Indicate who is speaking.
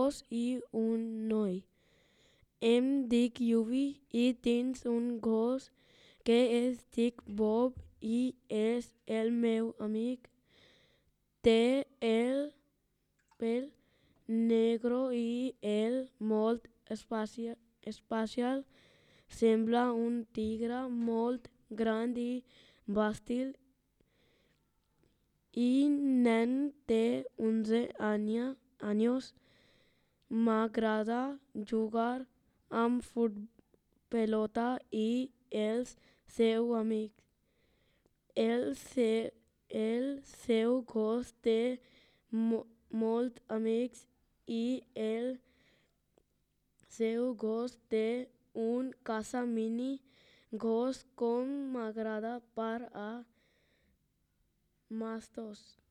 Speaker 1: gos i un noi. Em dic Yubi i tinc un gos que es dic Bob i és el meu amic. Té el pèl negre i el molt espacial. Sembla un tigre molt gran i bàstil i nen té 11 anys. M'agrada jugar amb pelota i els seus amics. El seu gos té molts amics i el seu gos té un casa mini gos com m'agrada per a mastos.